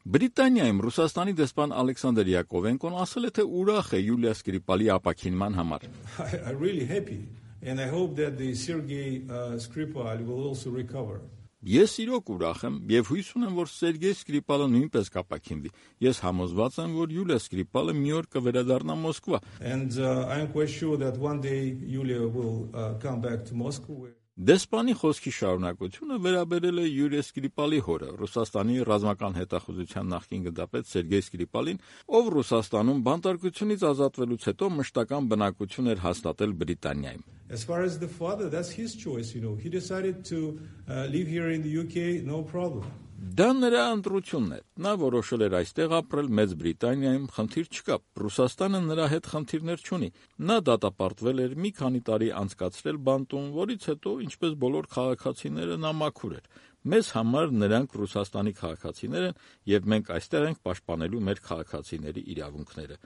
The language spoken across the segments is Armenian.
Բրիտանիայում Ռուսաստանի դեսպան Ալեքսանդր Յակովենկոն ասել է, թե ուրախ է Յուլիա Սկրիպալի ապաքինման համար. I'm really happy and I hope that the Sergei Skripal will also recover. Ես իրոք ուրախ եմ եւ հույս ունեմ, որ Սերգեյ Սկրիպալը նույնպես կապաքինվի։ Ես համոզված եմ, որ Յուլիա Սկրիպալը մի օր կվերադառնա Մոսկվա։ And I'm quite sure that one day Yulia will come back to Moscow. Դեսպանի խոսքի շարունակությունը վերաբերել է Յուրիա Սկրիպալի հորը, Ռուսաստանի ռազմական հետախուզության նախկին գնդապետ Սերգեյ Սկրիպալին, ով Ռուսաստանում բանտարկությունից ազատվելուց հետո մշտական բնակություն էր հաստատել Բրիտանիայում։ As far as the father, that's his choice, He decided to live here in the UK, no problem. Դա նրա ընտրությունն է։ Նա որոշել էր այստեղ ապրել Մեծ Բրիտանիայում, խնդիր չկա։ Ռուսաստանը նրա հետ խնդիրներ չունի։ Նա դատապարտվել էր մի քանի տարի անցկացրել բանտում, որից հետո, ինչպես բոլոր քաղաքացիները, նա մաքուր էր։ Մեզ համար նրանք Ռուսաստանի քաղաքացիներ են, եւ մենք այստեղ ենք պաշտպանելու մեր քաղաքացիների իրավունքները։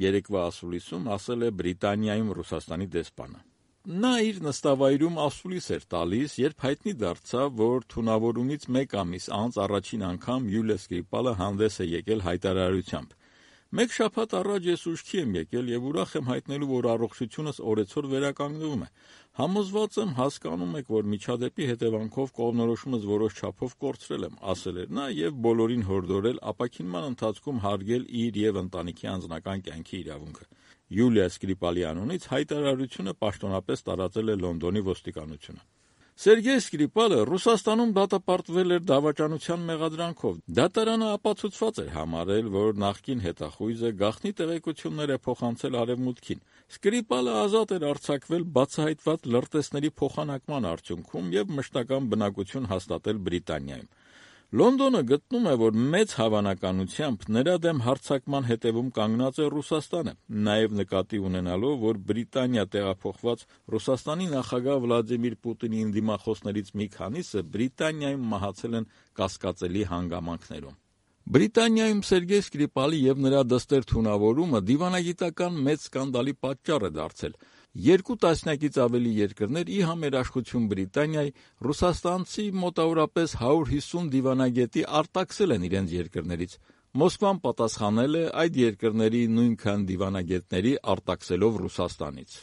Երեկվա ասուլիսում ասել է Բրիտանիայում Ռուսաստանի դեսպանը։ Նա իր նստավայրում ասուլիս էր տալիս, երբ հայտնի դարձավ, որ թունավորումից մեկ ամիս անց առաջին անգամ Յուլիա Սկրիպալը հանդես է եկել հայտարարությամբ։ Մեկ շաբաթ առաջ ես ուշքի եմ եկել եւ ուրախ եմ հայտնելու, որ առողջությունս օրեցօր վերականգնվում է։ Համոզված եմ, հասկանում եք, որ միջադեպի հետևանքով կողմնորոշումս որոշ չափով կորցրել եմ, ասել էր նա եւ բոլորին հորդորել ապաքինման ընթացքում հարգել իր եւ ընտանիքի անձնական կյանքի իրավունքը։ Յուլիա Սկրիպալի անունից հայտարարությունը պաշտոնապես տարածել է Լոնդոնի ոստիկանությունը։ Սերգեյ Սկրիպալը Ռուսաստանում դատապարտվել էր դավաճանության մեղադրանքով։ Դատարանը ապացուցված էր համարել, որ նախկին հետախույզը գաղտնի տեղեկություններ է փոխանցել Արևմուտքին։ Սկրիպալը ազատ էր արձակվել բացահայտված լրտեսների փոխանակման արդյունքում եւ մշտական բնակություն հաստատել Բրիտանիայում։ Լոնդոնը գտնում է, որ մեծ հավանականությամբ նրա դեմ հարձակման հետևում կանգնած է Ռուսաստանը, նաև նկատի ունենալով, որ Բրիտանիա տեղափոխված Ռուսաստանի նախագահ Վլադիմիր Պուտինի ընդդիմախոսներից մի քանիսը Բրիտանիայում մահացել են կասկածելի հանգամանքներում։ Բրիտանիայում Սերգեյ Սկրիպալի եւ նրա դստեր թունավորումը դիվանագիտական մեծ սկանդալի պատճառ է դարձել։ 2 տասնյակից ավելի երկրներ ի համերաշխություն Բրիտանիայի ռուսաստանցի մոտավորապես 150 դիվանագետի արտաքսել են իրենց երկրներից։ Մոսկվան պատասխանել է այդ երկրների նույնքան դիվանագետների արտաքսելով Ռուսաստանից։